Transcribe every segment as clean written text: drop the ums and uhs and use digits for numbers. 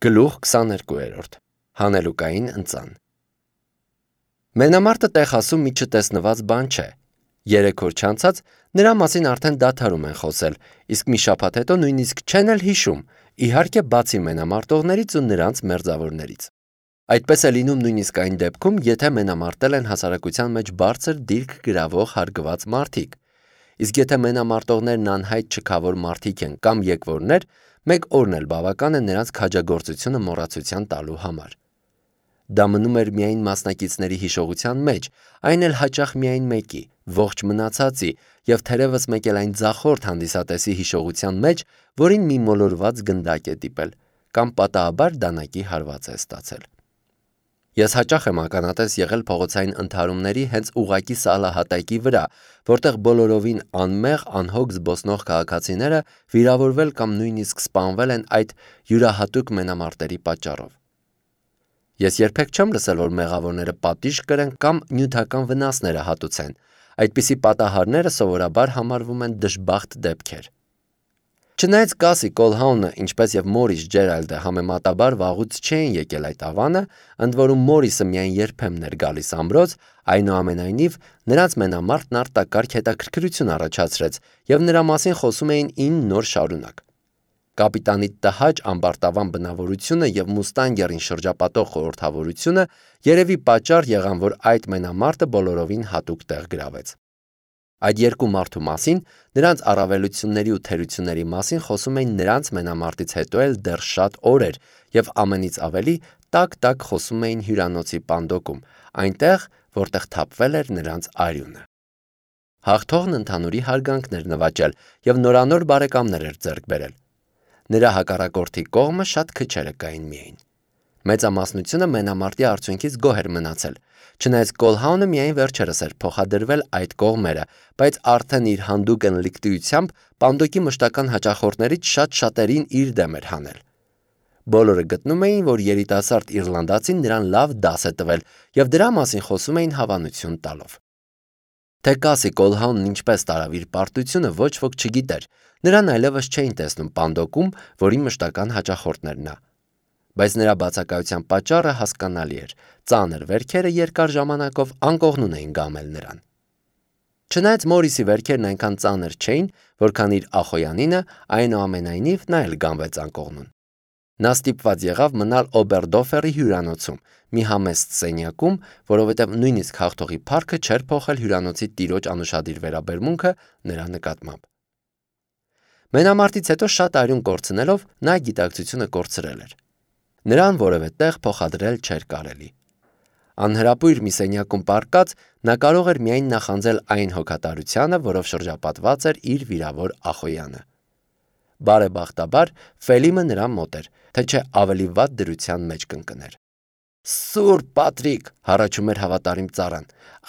Գլուխ 22 Հանելուկային ընծան Մենամարտը տեղ ասում մի չտեսնված բան չէ։ 3 օր չանցած նրա մասին արդեն դադարում են խոսել, իսկ մի շաբաթ հետո նույնիսկ չեն էլ հիշում, իհարկե բացի մենամարտողներից ու նրանց մերձավորներից։ Այդպես է լինում նույնիսկ այն դեպքում, եթե մենամարտել են հասարակության մեջ բարձր դիրք գրավող հարգված մարդիկ։ Իսկ եթե մենամարտողներն անհայտ չքավոր մարդիկ են կամ եկվորներ, մեկ օրն էլ բավական է նրանց քաջագործությունը մոռացության տալու համար։ Դա մնում էր միայն մասնակիցների հիշողության մեջ, այն էլ հաճախ միայն մեկի, ողջ մնացածի, եւ թերևս մեկ էլ այն ձախորդ հանդիսատեսի հիշողության մեջ, որին մի մոլորված գնդակ է դիպել, կամ պատահաբար դանակի հարված է ստացել։ Ես հաճախ եմ ականատես եղել փողոցային ընդհարումների հենց ուղակի սալահատակի վրա, որտեղ բոլորովին անմեղ, անհոգ զբոսնող քաղաքացիները վիրավորվել կամ նույնիսկ սպանվել են այդ յուրահատուկ մենամարտերի պատճառով։ Ես երբեք չեմ լսել, որ մեղավորները պատիժ կրեն կամ նյութական վնասները հատուցեն։ Այդպիսի պատահարները սովորաբար համարվում են դժբախտ դեպքեր։ Չնայած Կասի Կոլհաունը, ինչպես եւ Մորիս Ջերալդը համեմատաբար վաղուց չէին եկել այդ ավանը, ընդ որում Մորիսը միայն երբեմն էր գալիս ամրոց, այնուամենայնիվ նրանց մենամարտն արտակարգ հետաքրքրություն առաջացրեց եւ նրա մասին խոսում էին 9 նոր շարունակ։ Կապիտանի տհաճ ամբարտավան բնավորությունը եւ Մուստանգերին շրջապատող խորհրդավորությունը երևի պատճառ եղան, որ այդ մենամարտը բոլորովին հատուկ տեղ գրավեց։ Այդ երկու մարդու մասին, նրանց առավելությունների ու թերությունների մասին խոսում էին նրանց մենամարտից հետո էլ դեռ շատ օրեր եւ ամենից ավելի տակ-տակ խոսում էին հյուրանոցի պանդոկում, այնտեղ, որտեղ թափվել էր նրանց արյունը։ Հաղթողն ընդհանուրի հարգանքներ նվաճել եւ նորանոր բարեկամներ էր ձեռք բերել։ Նրա հակառակորդի կողմը շատ քչերը կային միայն։ Մեծամասնությունը մենամարտի արդյունքից գոհ էր մնացել, չնայած Կոլհաունը միայն վերջերս էր փոխադրվել այդ կողմերը, բայց արդեն իր հանդուգն լիկտիությամբ պանդոկի մշտական հաճախորդներից շատ շատերին իր դեմ էր հանել։ Բոլորը գտնում էին, որ երիտասարդ իռլանդացին նրան լավ դաս է տվել եւ դրա մասին խոսում էին հավանություն տալով։ Թե Կասի Կոլհաունն ինչպես տարավ իր պարտությունը ոչ ոք չգիտեր, նրան այլևս չէին տեսնում պանդոկում, որի մշտական հաճախորդն էր նա։ Բայց նրա բացակայության պատճառը հասկանալի էր, ծանր վերքերը երկար ժամանակով անկողնուն էին գամել նրան։ Չնայած Մորիսի վերքերն այնքան ծանր չէին, որքան իր ախոյանինը, այնուամենայնիվ նա էլ գամվեց անկողնուն։ Նա ստիպված եղավ մնալ Օբերդոֆերի հյուրանոցում, մի համեստ սենյակում, որովհետև նույնիսկ հաղթողի փառքը չէր փոխել հյուրանոցի տիրոջ անուշադիր վերաբերմունքը նրա նկատմամբ։ Մենամարտից հետո շատ արյուն կորցնելով նա գիտակցությունը կորցրել էր։ Նրան որևէ տեղ փոխադրել չէր կարելի։ Անհրապույր մի սենյակում պառկած նա կարող էր միայն նախանձել այն հոգատարությանը, որով շրջապատված էր իր վիրավոր ախոյանը։ Բարեբախտաբար Ֆելիմը նրա մոտ էր, թե չէ ավելի վատ դրության մեջ կընկներ։ Սուրբ Պատրիկ, հառաչում էր հավատարիմ ծառան,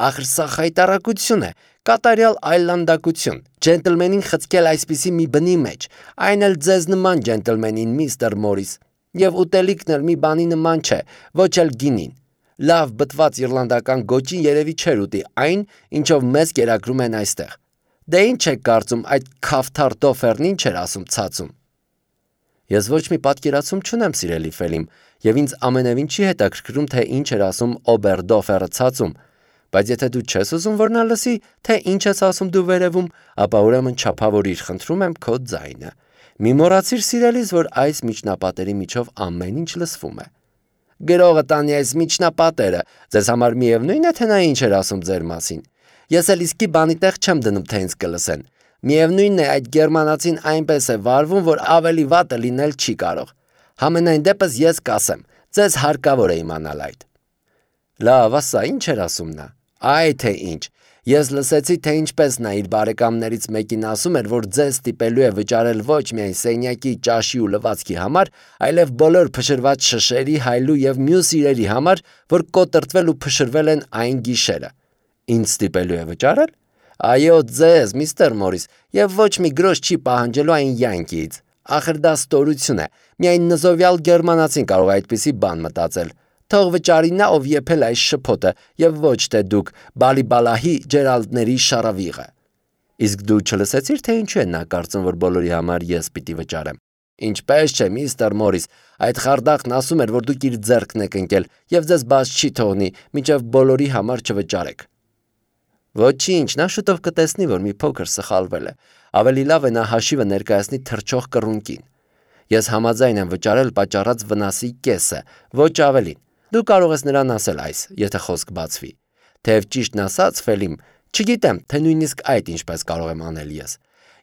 ախր սա խայտառակություն է, կատարյալ այլանդակություն, ջենտլմենին խցկել այսպիսի մի բնի մեջ, այն էլ ձեզ նման ջենտլմենին, միստր Մորիս, եւ ուտելիքն էլ մի բանի նման չէ, ոչ էլ գինին։ Լավ բտված իռլանդական գոճին երևի չէր ուտի այն, ինչով մեզ կերակրում են այստեղ։ Դե ինչ եք կարծում, այդ քավթար Դոֆերն ինչ էր ասում ցածում։ Ես ոչ մի պատկերացում չունեմ, սիրելի Ֆելիմ, եւ ինձ ամենևին չի հետաքրքրում, թե ինչ էր ասում Օբերդոֆերը ցածում, բայց եթե դու չես ուզում, որ նա լսի, թե ինչ ես ասում դու վերևում, ապա ուրեմն չափավորիր, խնդրում եմ քո ձայնը։ Մի մոռացիր, սիրելիս, որ այս միջնապատերի միջով ամեն ինչ լսվում է։ Գրողը տանի այս միջնապատերը, ձեզ համար միևնույն է, թե նա ինչ էր ասում ձեր մասին։ Ես էլ իսկի բանի տեղ չեմ դնում, թե ինձ կլսեն։ Միևնույնն է, այդ գերմանացին այնպես է վարվում, որ ավելի վատը լինել չի կարող։ Համենայն դեպս ես կասեմ, ձեզ հարկավոր է իմանալ այդ։ Լավ, ասա, ինչ էր ասում նա։ Այ թե ինչ։ Ես լսեցի, թե ինչպես նա իր բարեկամներից մեկին ասում էր, որ ձեզ ստիպելու է վճարել ոչ միայն սենյակի, ճաշի ու լվացքի համար, այլև բոլոր փշրված շշերի, հայլու եւ մյուս իրերի համար, որ կոտրտվել ու փշրվել են այն գիշերը։ Ինձ ստիպելու է վճարել։ Այո, ձեզ, միստր Մորիս, եւ ոչ մի գրոշ չի պահանջելու այն յանկիից։ Ախր դա ստորություն է։ Միայն նզովյալ գերմանացին կարող է այդպիսի բան մտածել։ Թող վճարի նա, ով եփել այս շփոթը, եւ ոչ թե դուք բալիբալահի Ջերալդների շարավիղը։ Իսկ դու չլսեցիր, թե ինչու է նա կարծում, որ բոլորի համար ես պիտի վճարեմ։ Ինչպես չէ, միստր Մորիս, այդ խարդախն ասում էր, որ դուք իր ձեռքն եք ընկել եւ ձեզ բաց չի թողնի, մինչեւ բոլորի համար չվճարեք։ Ոչինչ, նա շուտով կտեսնի, որ մի փոքր սխալվել է։ Ավելի լավ է նա հաշիվը ներկայացնի թռչող կռունկին։ Ես համաձայն եմ վճարել պատճառած վնասի կեսը, ոչ ավելին։ Դու կարող ես նրան ասել այս, եթե խոսք բացվի։ Թեև ճիշտն ասած, Ֆելիմ, չգիտեմ, թե նույնիսկ այդ ինչպես կարող եմ անել ես։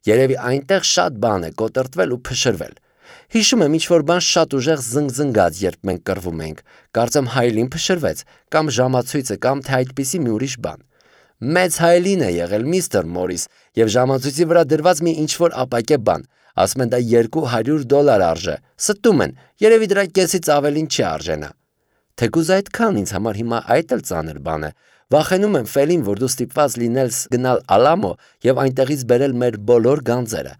Երևի այնտեղ շատ բան է կոտրտվել ու փշրվել։ Հիշում եմ ինչ-որ բան շատ ուժեղ զնգզնգաց, երբ մենք կռվում էինք։ Կարծեմ հայելին փշրվեց, կամ ժամացույցը, կամ թե այդպիսի մի ուրիշ բան։ Մեծ հայելին է եղել միստր Մորիս, եւ ժամացույցի վրա դրված մի ինչ-որ ապակե բան։ Ասում են դա $200 արժե։ Ստում են, երևի դրա կեսից ավելին չի արժենա։ Թեկուզ այդքան ինձ համար հիմա այդ էլ ծանր բան է։ Վախենում եմ Ֆելին, որ դու ստիպված լինել գնալ Ալամո եւ այնտեղից բերել մեր բոլոր գանձերը։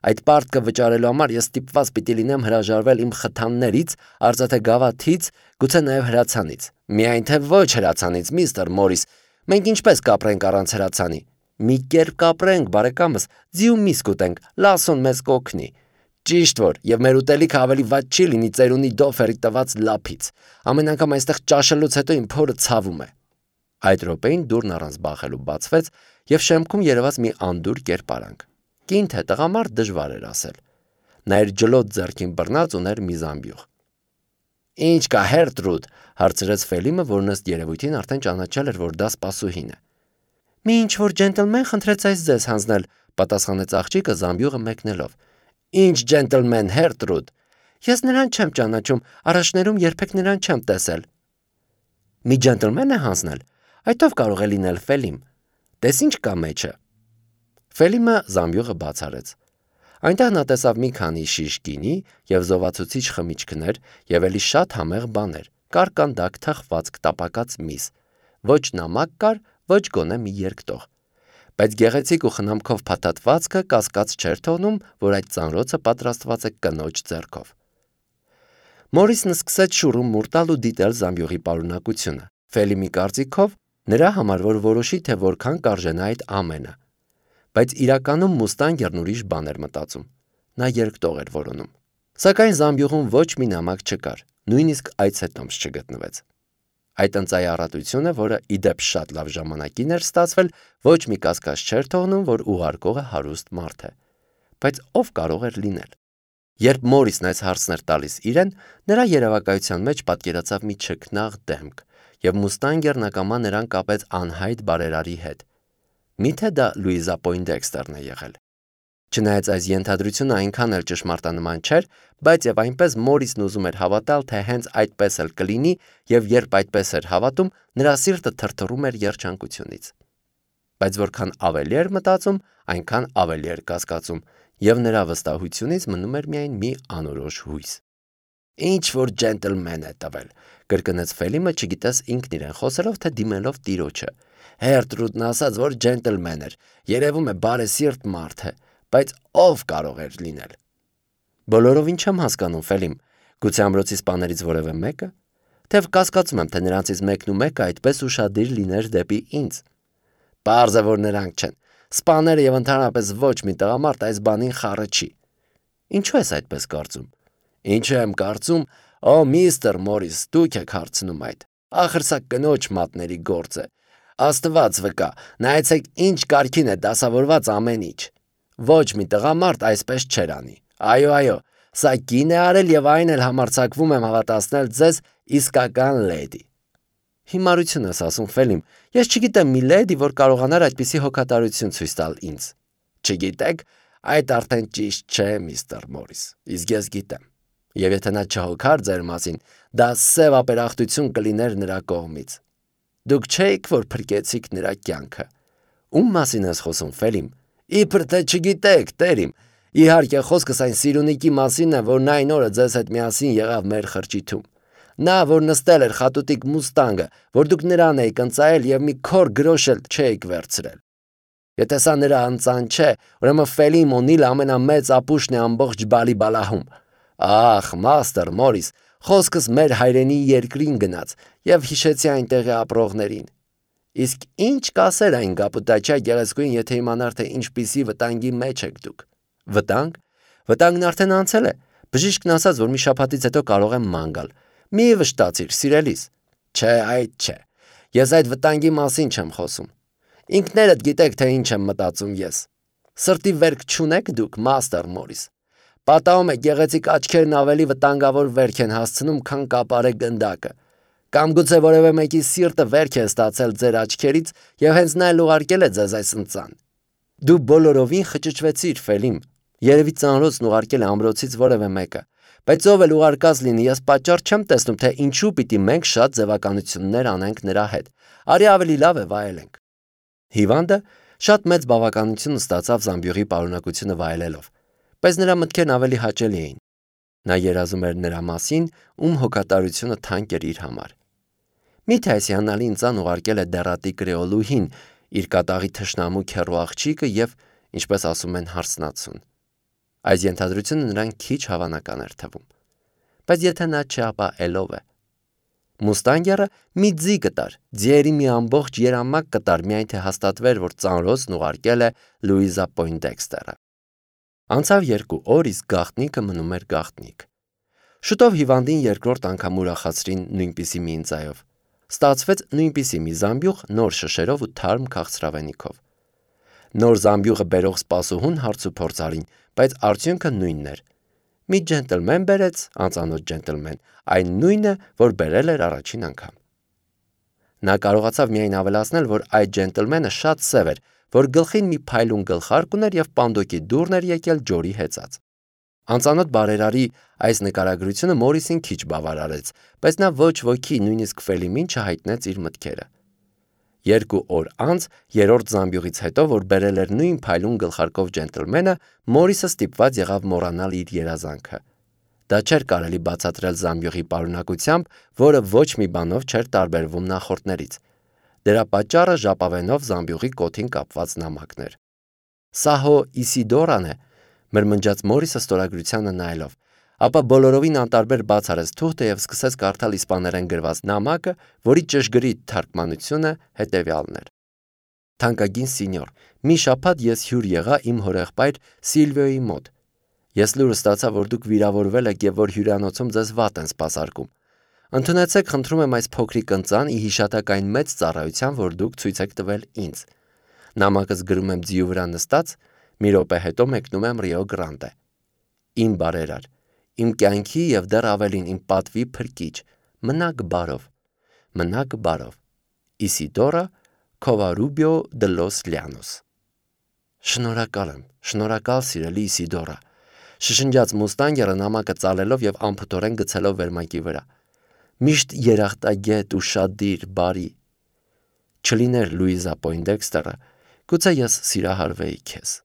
Այդ պարտքը վճարելու համար ես ստիպված պիտի լինեմ հրաժարվել իմ խթաններից, արծաթե գավաթից, գուցե նաեւ հրացանից։ Միայն թե ոչ հրացանից, միստր Մորիս։ Մենք ինչպես կապրենք առանց հրացանի։ Մի կերպ կապրենք, բարեկամս, ձիու միս կուտենք, լասոն մեզ կօգնի։ Ճիշտ որ, եւ մեր ուտելիքը ավելի վատ չի լինի ծերունի դոֆերի տված լափից։ Ամեն անգամ այստեղ ճաշելուց հետո իմ փորը ցավում է։ Այդ րոպեին դուրն առանց բախելու բացվեց եւ շեմքում երևաց մի անդուր կերպարանք։ Կին թե տղամարդ դժվար էր ասել։ Նա իր ջլոտ ձեռքին բռնած ուներ մի զամբյուղ։ Ինչ կա, Հերտրուդ, հարցրեց Ֆելիմը, որն ըստ երևույթին արդեն ճանաչել էր, որ դա սպասուհին է։ Մի ինչ-որ ջենտլմեն խնդրեց այս ձեզ հանձնել, պատասխանեց աղջիկը զամբյուղը մեկնելով։ Ինչ ջենտլմեն, Հերտրուդ։ Ես նրան չեմ ճանաչում, առաջներում երբեք նրան չեմ տեսել։ Մի ջենտլմեն է հանձնել։ Այդ ով կարող է լինել, Ֆելիմ։ Տես ինչ կա մեջը։ Ֆելիմը զամբյուղը բաց արեց։ Այնտեղ նա տեսավ մի քանի շիշ գինի եւ զովացուցիչ խմիչքներ եւ ելի շատ համեղ բաներ, կարկանդակ թխված տապակած միս։ Ոչ նամակ կար, ոչ գոնե մի երկտող։ Բայց գեղեցիկ ու խնամքով փաթաթվածքը կասկած չէր թողնում, որ այդ ծանրոցը պատրաստված է կնոջ ձեռքով։ Մորիսն սկսեց շուրում մուրտալ ու դիտել զամբյուղի պարունակությունը։ Ֆելիմի կարծիքով նրա համար որ որոշի, թե որքան կարժենա այդ ամենը։ Բայց իրականում Մուստանգերն ուրիշ բան էր մտածում։ Նա երկտող էր որոնում։ Սակայն զամբյուղում ոչ մի նամակ չկար, նույնիսկ այցետոմս չգտնվեց։ Այդ ընծայառատությունը, որը իդեպ շատ լավ ժամանակին էր ստացվել, ոչ մի կասկած չէր թողնում, որ ուղարկողը հարուստ մարդ է։ Բայց ով կարող էր լինել։ Երբ Մորիսն այս հարցն էր տալիս իրեն, նրա երևակայության մեջ պատկերացավ մի չքնաղ դեմք, եւ Մուստանգերն ակամա նրան կապեց անհայտ բարերարի հետ։ Միթե դա Լուիզա Պոյնդեքստերն է եղել։ Չնայած այս ենթադրությունը այնքան էլ ճշմարտանման չէր, բայց եւ այնպես Մորիսն ուզում էր հավատալ, թե հենց այդպես էլ կլինի, եւ երբ այդպես էր հավատում, նրա սիրտը թրթռում էր երջանկությունից։ Բայց որքան ավելի էր մտածում, այնքան ավելի էր կասկածում, եւ նրա վստահությունից մնում էր միայն մի անորոշ հույս։ Ինչ որ ջենտլմեն է տվել, կրկնեց Ֆելիմը, չգիտես ինքն իրեն խոսելով, թե դիմելով տիրոջը։ Հերտրուդն ասաց, որ ջենտլմեն էր, երևում է բարեսիրտ մարդ է, բայց ով կարող էր լինել։ Բոլորովին չեմ հասկանում, Ֆելիմ, գուցե ամրոցի սպաներից որևէ մեկը, թեև կասկածում եմ, թե նրանցից մեկն ու մեկը այդպես ուշադիր լիներ դեպի ինձ։ Պարզ է, որ նրանք չեն։ Սպաները եւ ընդհանրապես ոչ մի տղամարդ այս բանին խառը չի։ Ինչու ես այդպես կարծում։ Ինչու եմ կարծում, օ միստր Մորիս, դուք եք հարցնում այդ։ Ախր սա կնոջ մատների գործ է։ Աստված վկա, նայեցեք ինչ կարգին է դասավորված ամեն ինչ։ Ոչ մի տղամարդ այսպես չեր անի։ Այո, սա կին է արել եւ այն էլ համարձակվում եմ հավատացնել ձեզ իսկական լեդի։ Հիմարություն ես ասում, Ֆելիմ, ես չգիտեմ մի լեդի, որ կարողանար այդպիսի հոգատարություն ցույց տալ ինձ։ Չգիտեք, այդ արդեն ճիշտ չէ, միստր Մորիս, իսկ ես գիտեմ։ Եվ եթե նա չհոգար ձեր մասին, դա սև ապերախտություն կլիներ նրա կողմից։ Դուք չէիք, որ փրկեցիք նրա կյանքը։ Ում մասին ես խոսում, Ֆելիմ։ Իբր թե չգիտեք, տերիմ։ Իհարկե խոսքս այն սիրունիկի մասին է, որն այն օրը ձեզ հետ միասին եղավ մեր խրճիթում։ Նա, որ նստել էր խատուտիկ Մուստանգը, որ դուք նրան էիք ընծայել եւ մի քոր գրոշ էլ չէիք վերցրել։ Եթե սա նրա ընծան չէ, ուրեմն Ֆելիմ Օնիլը ամենամեծ ապուշն է ամբողջ Բալիբալահում։ Ախ, մաստեր Մորիս, խոսքս մեր հայրենի երկրին գնաց եւ հիշեցի այնտեղի ապրողներին։ Իսկ ինչ կասեր այն գապուտաչա գեղեցկուին, եթե իմանար, թե ինչպիսի վտանգի մեջ եք դուք։ Վտանգ։ Վտանգն արդեն անցել է, Բժիշկն ասաց, որ մի շաբաթից հետո կարող եմ ման գալ։ Մի վշտացիր, սիրելիս։ Չէ, այդ չէ։ Ես այդ վտանգի մասին չեմ խոսում։ Ինքներդ գիտեք, թե ինչ եմ մտածում ես։ Սրտի վերք չունեք դուք, Մաստեր Մորիս։ Պատահում է գեղեցիկ աչքերն ավելի վտանգավոր վերք են հասցնում, քան կապարե գնդակը։ Կամ գուցե որևէ մեկի սիրտը վերք է ստացել ձեր աչքերից եւ հենց նա էլ ուղարկել է ձեզ այս ընծան։ Դու բոլորովին խճճվեցիր, Ֆելիմ։ Երևի ծանրոցն ուղարկել է ամրոցից որևէ մեկը։ Բայց ով էլ ուղարկած լինի, ես պատճառ չեմ տեսնում, թե ինչու պիտի մենք շատ ձևականություններ անենք նրա հետ։ Արի ավելի լավ է վայելենք։ Հիվանդը շատ մեծ բավականություն ստացավ զամբյուղի պարունակությունը վայելելով, բայց նրա մտքերն ավելի հաճելի էին։ Նա երազում էր նրա մասին, ում հոգատարությունը թանկ էր իր համար։ Միթե այս հիանալի ընծան ուղարկել է դեռատի կրեոլուհին, իր կատաղի թշնամու քեռու աղջիկը եւ, ինչպես ասում են, հարսնացուն։ Այս ենթադրությունը նրան քիչ հավանական էր թվում։ Բայց եթե նա չէ, ապա ելով է։ Մուստանգերը մի ձի կտար, ձիերի մի ամբողջ երամակ կտար, միայն թե հաստատվեր, որ ծանրոցն ուղարկել է Լուիզա Պոյնդեքստերը։ Անցավ 2 օր, իսկ գաղտնիքը մնում էր գաղտնիք։ Շուտով հիվանդին երկրորդ անգամ ուրախացրին նույնպիսի մի ընծայով։ Ստացվեց նույնպիսի մի զամբյուղ նոր շշերով ու թարմ քաղցրավենիքով։ Նոր զամբյուղը բերող սպասուհուն հարց ու փորձ արին, բայց արդյունքը նույնն էր։ Մի ջենտլմեն բերեց, անծանոթ ջենտլմեն, այն նույնը, որ բերել էր առաջին անգամ։ Նա կարողացավ միայն ավելացնել, որ այդ ջենտլմենը շատ սև էր, որ գլխին մի փայլուն գլխարկ ուներ եւ պանդոկի դուռն էր եկել ջորի հեծած։ Անծանոթ բարերարի այս նկարագրությունը Մորիսին քիչ բավարարեց, բայց նա ոչ ոքի, նույնիսկ Ֆելիմին չհայտնեց իր մտքերը։ 2 օր անց, երրորդ զամբյուղից հետո, որ բերել էր նույն փայլուն գլխարկով ջենտլմենը, Մորիսը ստիպված եղավ մոռանալ իր երազանքը։ Դա չէր կարելի բացատրել զամբյուղի պարունակությամբ, որը ոչ մի բանով չէր տարբերվում նախորդներից։ Դրա պատճառը ժապավենով զամբյուղի կոթին կապված նամակն էր։ Սա հո Իսիդորան է, մրմնջաց Մորիսը ստորագրությանը նայելով, ապա բոլորովին անտարբեր բաց արեց թուղթը եւ սկսեց կարդալ իսպաներեն գրված նամակը, որի ճշգրիտ թարգմանությունը հետեւյալն էր. Թանկագին սինյոր, մի շաբաթ ես հյուր եղա իմ հորեղբայր Սիլվիոյի մոտ։ Ես լուրը ստացա, որ դուք վիրավորվել եք եւ որ հյուրանոցում ձեզ վատ են սպասարկում։ Ընդունեցեք, խնդրում եմ, այս փոքրիկ ընծան ի հիշատակային մեծ ծառայության, որ դուք ցույց եք տվել ինձ։ Նամակս գրում եմ ձիու վրա նստած, մի րոպե հետո մեկնում եմ Ռիո Գրանդե։ Իմ բարերար, իմ կյանքի եւ դեռ ավելին իմ պատվի փրկիչ, մնաք բարով, մնաք բարով։ Իսիդորա Քովարուբիո դե լոս Լյանոս։ Շնորհակալ եմ, շնորհակալ սիրելի Իսիդորա, շշնջաց Մուստանգերը նամակը ծալելով եւ անփութորեն գցելով վերմակի վրա։ Միշտ երախտագետ, ուշադիր, բարի։ Չլիներ Լուիզա Պոյնդեքստերը, գուցե ես սիրահարվեի քեզ։